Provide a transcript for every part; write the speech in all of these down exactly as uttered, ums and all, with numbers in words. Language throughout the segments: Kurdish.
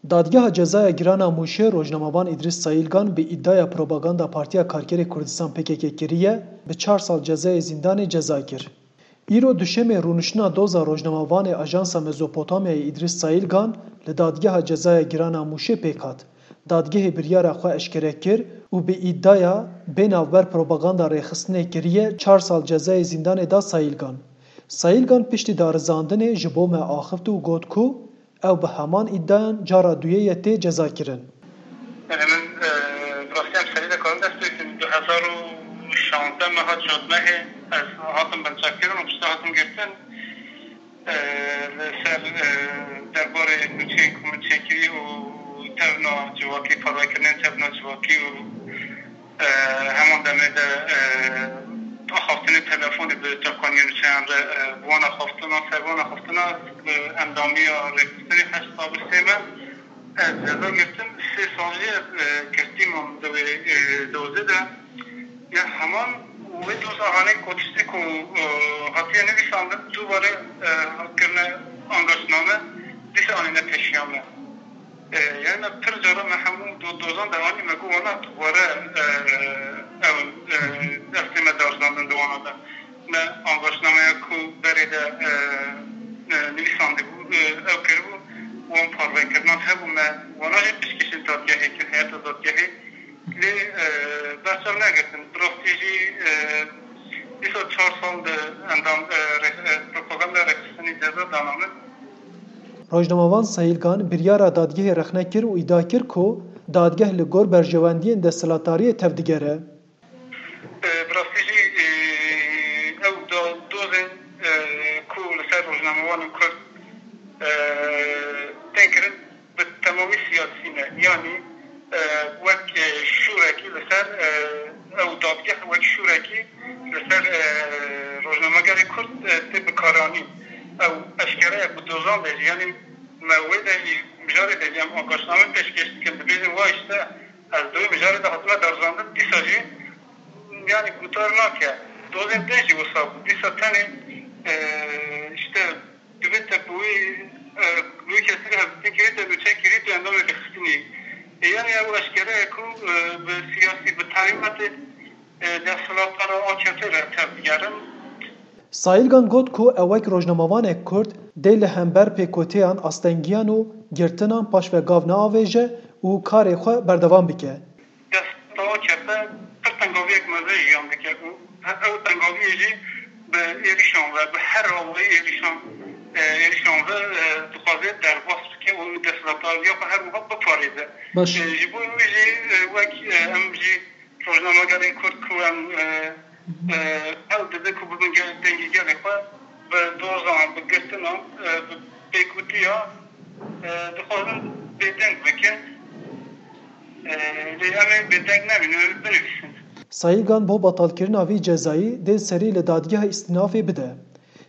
Dadgeha Cezaya Giran a Mûşê rojnamevan Îdrîs Sayîlgan bi îdiaya propaganda Partiya Karkerê Kurdistan P K K kiriye, bi çar sal cezayê zîndanê ceza kir. Îro duşemê rûniştina doza rojnamevanê Ajansa Mezopotamyayê Îdrîs Sayîlgan li Dadgeha Cezaya Giran a Mûşê pêk hat. Dadgehê biryara xwe eşkere kir û bi îdiaya bê navber propaganda rêxistinê kiriye çar sal cezayê zîndanê da Sayîlgan. Sayîlgan piştî darizandinê ji bo me axift û got ku ew bi heman îdiayan cara duyê ye tê cezakirin. Yanî min, e, bi rastî em serî de karin dest pê bikin. Du hezar û şazdeh me hat şazdeh mehê ez hatim binçavkirin û piştre hatim girtin. E, li ser, e, derbarê nûçeyên ku min çêkirî û tevna civakî, parvekirinên tevna civakî û, e, heman demê de, e, axaftinê telefonê bi çavkaniyên nûçeyan re, e, bi wan axaftina, ser wan axaftina, bi endamiya rêxistinê heşt sal û sê meh ez ceza girtim. Sê sal jî ez, e, girtî mam di wê, e, dozê de. Ya heman wê doza hanê ku tiştê ku, e, hatiye nivîsandin, dubare, e, kirine angaşname, dîsa anîne pêşiya me. E, yani me pir cara me hemû do-, dozan de anî, me got wana tu were, e, ew, e, destê me darizandin di wana de. Me angaşnameya ku berê de, e, e, nivîsandibû, e, ew kiribû, wan parvekirina hebû, me wana jî piştgirîşên dadgehê kir, heyeta dadgehê. Lê, e, berçav negirtin. Bi rastî jî, e, dîsa çar sal di endam, e, re-, e, propaganda rêxistinî ceza dana min. Rojnamevan Sayîlgan biryara dadgehê rexne kir û îdia kir ku dadgeh li gor berjewendiyên desthilatdariyê tevdigere. E, bi rastî jî, e, ew da-, dozên, e, ku li ser rojnamevanên Kurd, e, tên kirin, bi temamî siyasî ne. Yanî, e, wek, e, şûrekî li ser, e, ew dadgeh wek şûrekî li ser, e, rojnamegerê Kurd, e, tê bikaranîn. Ew eşkere ye ku dozan de jî, yanî me wê de jî, mijarê de jî em angaşname pêşkêş dikin, dibêjin wa işte, ez di wê mijarê de hatime darizandin, dîsa jî, yanî guhdar nake. Dozên din jî wisa bû. Dîsa tenê, e, işte, divê te bi wî, e, bi wî kesî re hevdîtin kirî te, nûçe kirî te, endamê rêxistinî. E, yanî ew eşkere ye ku, e, bi siyasî, bi terîmetê, e, desthilatdara A K P re tevdigerin. Sayîlgan got ku ew wek rojnamevanek Kurd dê li hember pêkoteyan, astengiyan û girtinan paşvegav neavêje û karê xwe berdewam bike. Desthilatdara A K P pir tengaviyek mezin jiyan dike û he-, ew tengaviyê jî bi êrîşan ve, bi her awayî êrîşan, e, êrîşan ve, e, dixwaze derbas bike û desthilatdariya xwe her wiha biparêze. Baş. E, ji bo wê jî, e, wek, e, em jî rojnamegerên Kurd ku em, e, e, hewl dide ku bibin gel-, dengê gelê xwe, bi dozan, bi girtinan, e, bi pêkutiya, e, dixwazin bêdeng bikin. E, lê em ê bêdeng nebînin, em ê binivîsin. Sayîlgan bo betalkirina vî cezayî dê serî li dadgeha îstînafê bide.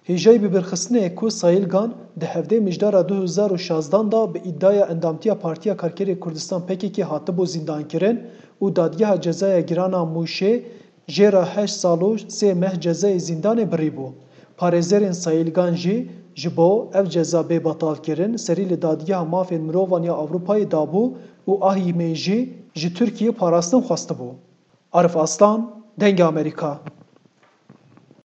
Hêjayî bibirxistinê ye ku Sayîlgan di hevdê Mijdara du hezar û şazdan de bi îdiaya endamtiya Partiya Karkerê Kurdistan P K K hatibû zîndankirin û Dadgeha Cezaya Giran a Mûşê jê re heşt sal û sê meh cezayê zîndanê birîbû. Parêzerên Sayîlgan jî ji bo ev ceza bê betalkirin serî li Dadgeha Mafên Mirovan ya Ewropayê dabû û ahîmê jî ji Tirkiyê parastin xwestibû. Arif Aslan, Dengê Amerîka.